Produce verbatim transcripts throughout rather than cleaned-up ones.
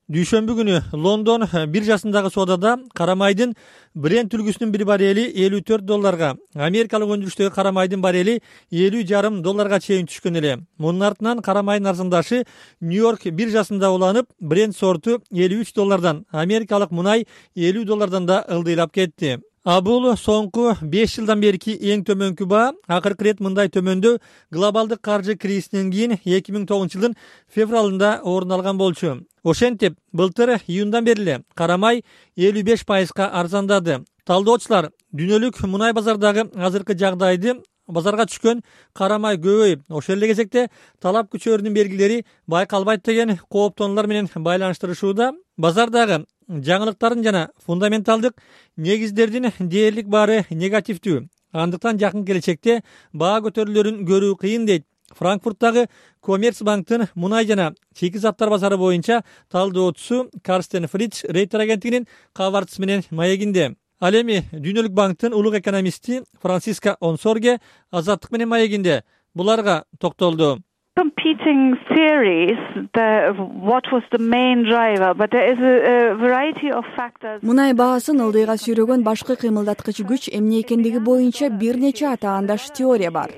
Дүйшөмбү күнү Лондон биржасындагы соодада карамайдын Brent үлгүсүнүн bir барели элүү төрт долларга, америкалык өндүрүштөгү карамайдын барели элүү жарым долларга чейин түшкөн эле. Мунун артынан карамайдын арзандашы Нью-Йорк биржасында уланып, Brent сорту элүү үч доллардан, америкалык мунай элүү доллардан да ылдыйлап кетти. А бул соңку беш жылдан берки эң төмөнкү баа. Акыркы ирет мындай төмөндөө глобалдык каржы кризисинен кийин эки миң тогузунчу жылдын февралында орун алган болчу. Ошентип, былтыр июндан бери эле карамай элүү беш пайызга арзандады. Талдоочулар дүйнөлүк мунай базардагы азыркы жагдайды, базарга түшкөн карамай көбөйүп, ошол эле кезекте талап күчөөрүнүн белгилери байкалбайт деген кооптонуулар менен байланыштырышууда. Базардагы жаңылыктардын жана фундаменталдык негиздердин дээрлик баары негативдүү. Андыктан жакын келечекте баа көтөрүлөрүн көрүү кыйын дейт Франкфурттагы Коммерцбанктын мунай жана чийки заттар базары боюнча талдоочусу Карстен Фридж Рейтер агенттигинин кабарчысы менен маегинде. Ал эми Дүйнөлүк банктын улук экономисти Франциска Онсорге Азаттык менен маегинде буларга токтолду. Competing theories, the, what was the main driver, but there is a, a variety of factors. Мунай баасын ылдыйга сүйрөгөн башкы кыймылдаткыч күч эмне экендиги боюнча бир нече атаандаш теория бар.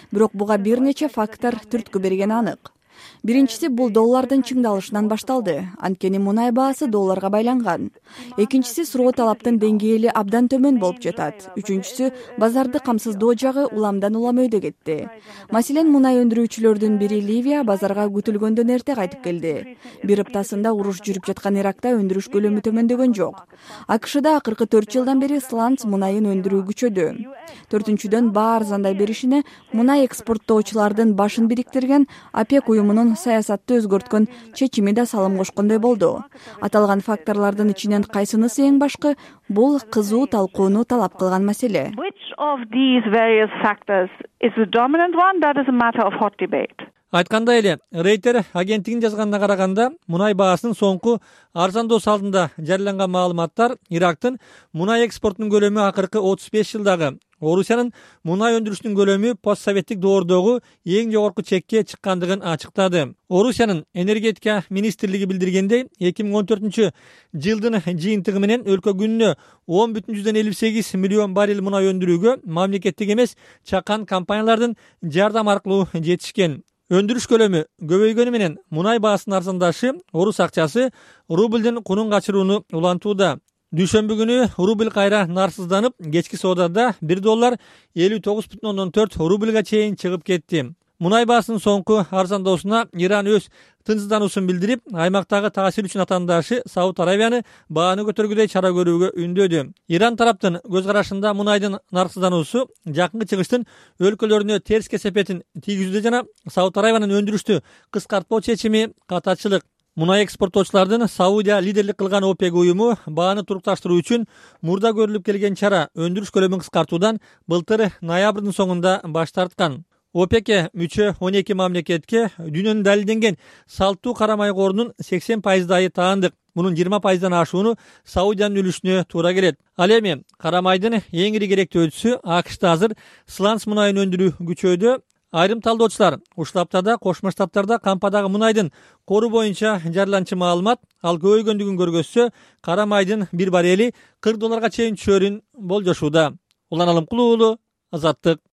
Бирок буга бир нече фактор түрткү берген анык. Биринчиси бул доллардын чыңдалышынан башталды. Анткени мунай баасы долларга байланган. Экинчиси суроо талаптын деңгээли абдан төмөн болуп жатат. Үчүнчүсү базарды камсыздоо жагы уламдан улам өйдө кетти. Маселен, мунай өндүрүүчүлөрдүн бири Ливия базарга күтүлгөндөн эрте кайтып келди. Бир аптасында уруш жүрүп жаткан Иракта өндүрүш көлөмү төмөндөгөн жок. АКШда акыркы төрт жылдан бери сланц мунайын өндүрүү күчөдү. Төртүнчүдөн, баа арзандай беришине мунай экспорттоочулардын башын бириктирген ОПЕК уюмунун саясатты өзгөрткөн чечими да салым кошкондой болду. Аталган факторлордун ичинен кайсынысы эң башкы? Бул кызуу талкууну талап кылган маселе. Which of these various factors is the dominant one? That is a matter of hot debate. Айткандай эле, Рейтер агенттигинин жазганына караганда, мунай баасынын соңку арзандоосу алдында жарыяланган маалыматтар Ирактын мунай экспортунун көлөмү акыркы отуз беш жылдагы, Орусиянын мунай өндүрүшүнүн көлөмү постсоветтик доордогу эң жогорку чекке чыккандыгын ачыктады. Орусиянын энергетика министрлиги билдиргендей, эки миң он төртүнчү жылдын жыйынтыгы менен өлкө күнүнө он бүтүн жүздөн элүү сегиз миллион баррель мунай өндүрүүгө мамлекеттик эмес чакан компаниялардын жардам аркылуу жетишкен. Өндүрүш көлөмү көбөйгөнү менен мунай баасынын арзандашы орус акчасы рублдун кунун качырууну улантууда. Дүйшөмбү күнү рубль кайра нарсызданып, кечки соодада бир доллар элүү тогуз бүтүн ондон төрт рубльга чейин чыгып кетти. Мунай баасынын соңку арзандоосуна Иран өз тынчсыздануусун билдирип, аймактагы таасир үчүн атаандашы Сауд Аравияны бааны көтөргүдөй чара көрүүгө үндөдү. Иран тараптын көз карашында мунайдын нарсыздануусу жакынкы чыгыштын өлкөлөрүнө терс кесепетин тийгизүүдө жана Сауд Аравиянын өндүрүштү кыскартпоо чечими катачылык. Мунай экспорттоочулардын Саудия лидерлик кылган ОПЕК уюму бааны турукташтыруу үчүн мурда көрүлүп келген чара өндүрүш көлөмүн кыскартуудан былтыр ноябрдын соңунда баш тарткан. ОПЕКке мүчө он эки мамлекетке дүйнөнүн далилденген салттуу карамай корунун сексен пайыздайы таандык. Мунун жыйырма пайыздан ашууну Саудиянын үлүшүнө туура келет. Ал эми карамайдын эң ири керектөөчүсү АКШда азыр сланц мунайын өндүрүү күчөйдө. Айрым талдоочулар ушул аптада Кошмо Штаттарда кампадагы мунайдын кору боюнча жарыяланчу маалымат ал көбөйгөндүгүн көргөзсө, карамайдын bir барели кырк долларга чейин түшөрүн болжошууда. Улан Алымкулуу, Азаттык.